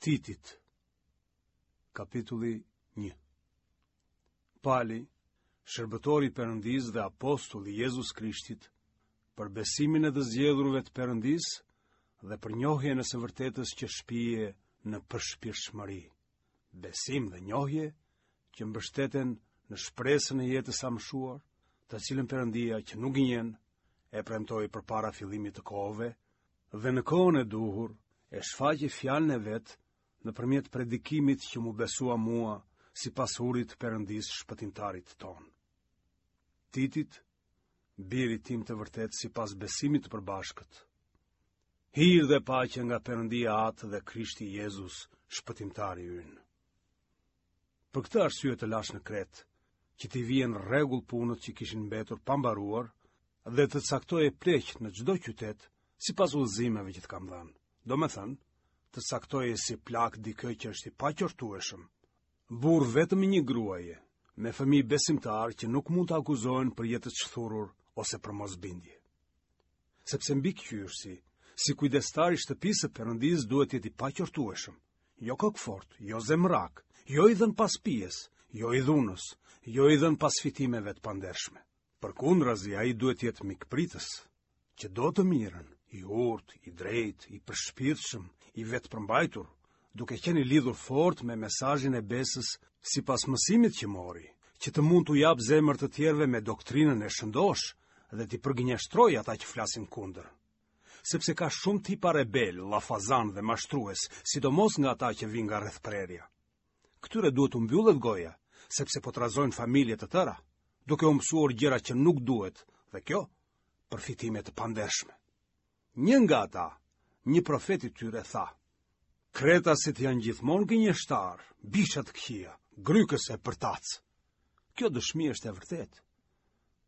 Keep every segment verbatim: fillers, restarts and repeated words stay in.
Titit. Kapitulli një. Pali, shërbëtor i Perëndisë dhe apostull i Jezus Krishtit, për besimin e të zgjedhurve të Perëndisë dhe për njohjen e së vërtetës që shpie në përshpirtshmëri. Besim dhe njohje që mbështeten në shpresën e jetës së amshuar, të cilën Perëndia që nuk gënjen e premtoi përpara fillimit të kohëve dhe në kohën e duhur e shfaqi fjalën e vet nëpërmjet predikimit që m'u besua mua sipas urdhrit të Perëndisë shpëtimtarit tonë. Titit, birit tim të vërtetë sipas besimit të përbashkët. Hir dhe paqe nga Perëndia Atë dhe Krishti Jezus, shpëtimtari ynë. Për këtë arsye të lashë në Kretë, që t'i vije në rregull punët që kishin mbetur pa mbaruar dhe të caktoje pleq në çdo qytet sipas udhëzimeve që të kam dhënë. Domethënë, të caktoje si plak dikë që është i paqortueshëm, burrë vetëm i një gruaje, me fëmijë besimtarë që nuk mund të akuzohen për jetë të shthurur ose për mosbindje. Sepse mbikëqyrësi, si kujdestar i shtëpisë së Perëndisë duhet të jetë i paqortueshëm, jo kokëfortë, jo zemrak, jo i dhënë pas pijes, jo i dhunës, jo i dhënë pas fitimeve të pandershme. Përkundrazi, ai duhet të jetë mikpritës, që do të mirën, i urtë, i drejtë, i përshpirtshëm, i vetëpërmbajtur, duke qenë i lidhur fort me mesazhin e besës sipas mësimit që mori, që të mund t'u japë zemër të tjerëve me doktrinën e shëndoshë dhe t'i përgënjeshtrojë ata që flasin kundër. Sepse ka shumë tipa rebelë, llafazanë dhe mashtrues, sidomos nga ata që vijnë nga rrethprerja. Këtyre duhet t'u mbyllet goja, sepse po trazojnë familje të tëra, duke u mësuar gjëra që nuk duhet, dhe kjo për fitime të pandershme. Një nga ata, një profet i tyre tha: Kretasit janë gjithmonë gënjeshtarë, bisha të këqija, grykës e përtacë. Kjo dëshmi është e vërtetë.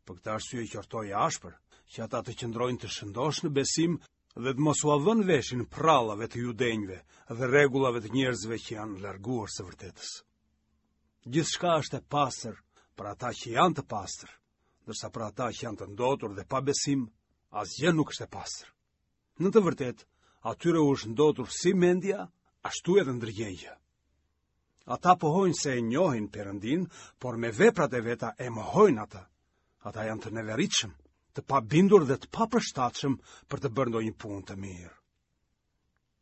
Për këtë arsye qortoji ashpër, që ata të qëndrojnë të shëndoshë në besim dhe të mos ua vënë veshin prallave të judenjve dhe rregullave të njerëzve që janë larguar së vërtetës. Gjithçka është e pastër për ata që janë të pastër, ndërsa për ata që janë të ndotur dhe pa besim, asgjë nuk është e pastër. Në të vërtetë, atyre u është ndotur si mendja, ashtu edhe ndërgjegja. Ata pohojnë se e njohin Perëndinë, por me veprat e veta e mohojnë atë. Ata janë të neveritshëm, të pabindur dhe të papërshtatshëm për të bërë ndonjë punë të mirë.